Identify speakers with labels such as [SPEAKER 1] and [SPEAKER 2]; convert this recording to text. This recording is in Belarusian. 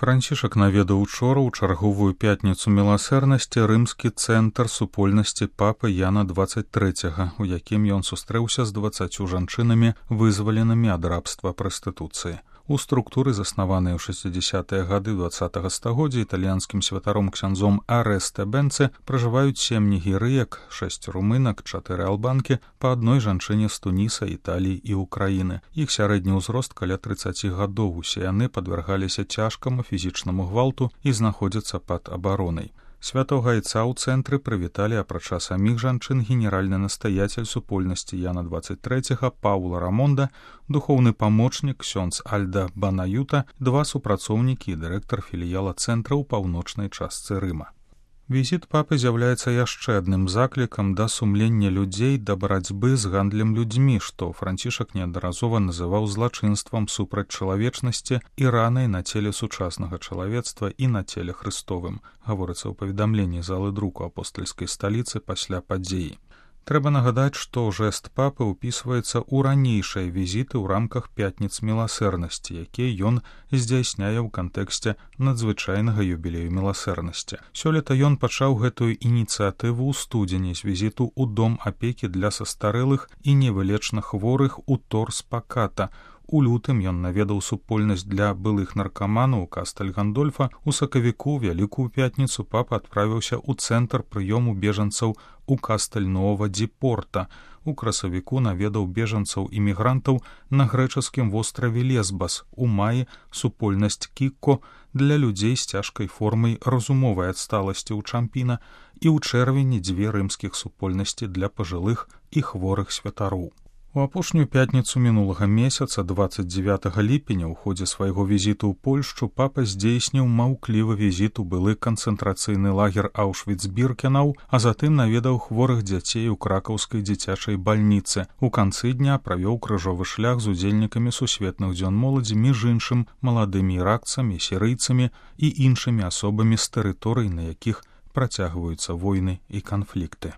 [SPEAKER 1] Францішак наведаў учора ў чарговую пятніцу міласэрнасці рымскі цэнтр супольнасці папы Яна 23, у якім ён сустрэўся з 20 жанчынамі, вызваленымі ад рабства прастытуцыі. У структуры, заснаванай у 60-е гады 20-го стагоддзя італьянскім святаром ксяндзом Арэстэ Бенце, пражываюць 7 нігерыек, 6 румынак, 4 албанкі, па адной жанчыне з Туніса, Італіі і Украіны. Іх сярэдні ўзрост каля 30 гадоў, усе яны падвяргаліся цяжкаму фізічнаму гвалту і знаходзяцца пад абаронай. Святога айца ў цэнтры прывіталі, апрача саміх жанчын, генеральны настаяцель супольнасці Яна 23 Паула Рамонда, духоўны памочнік ксёндз Альда Банаюта, 2 супрацоўнікі і дырэктар філіяла цэнтра ў паўночнай частцы Рыма. Візіт папы з'яўляецца яшчэ адным заклікам да сумлення людзей да барацьбы з гандлем людзьмі, што Францішак неаднаразова называў злачынствам супраць чалавечнасці і ранай на целе сучаснага чалавецтва і на целе Хрыстовым, гаворыцца ў паведамленні залы друку апостальскай сталіцы пасля падзеі. Трэба нагадаць, што жэст папы ўпісваецца ў ранейшыя візіты ў рамках пятніц міласэрнасці, якія ён здзяйсняе ў кантэксце надзвычайнага юбілею міласэрнасці. Сёлета ён пачаў гэтую ініцыятыву ў студзені з візіту ў дом апекі для састарэлых і невылечна хворых у Торс-Паката. У лютым ён наведаў супольнасць для былых наркаманаў у Кастэль-Гандольфа. У сакавіку Вялікую пятніцу папа адправіўся ў цэнтр прыёму бежанцаў у Кастэль-Нова-ді-Порта. У красавіку наведаў бежанцаў-імігрантаў на грэчаскім востраве Лесбас. У маі супольнасць Кікко для людзей з цяжкай формай разумовай адсталасці ў Чампіна і ў чэрвені 2 рымскіх супольнасці для пажылых і хворых святароў. У апошнюю пятніцу мінулага месяца, 29 ліпеня, у ходзе свайго візіту ў Польшчу папа здзейсніў маўклівы візіт у былы канцэнтрацыйны лагер Аўшвіц-Біркенау, а затым наведаў хворых дзяцей у кракаўскай дзіцячай бальніцы. У канцы дня правёў крыжовы шлях з удзельнікамі сусветных дзён моладзі, між іншым маладымі іракцамі, сірыйцамі і іншымі асобамі з тэрыторый, на якіх працягваюцца войны і канфлікты.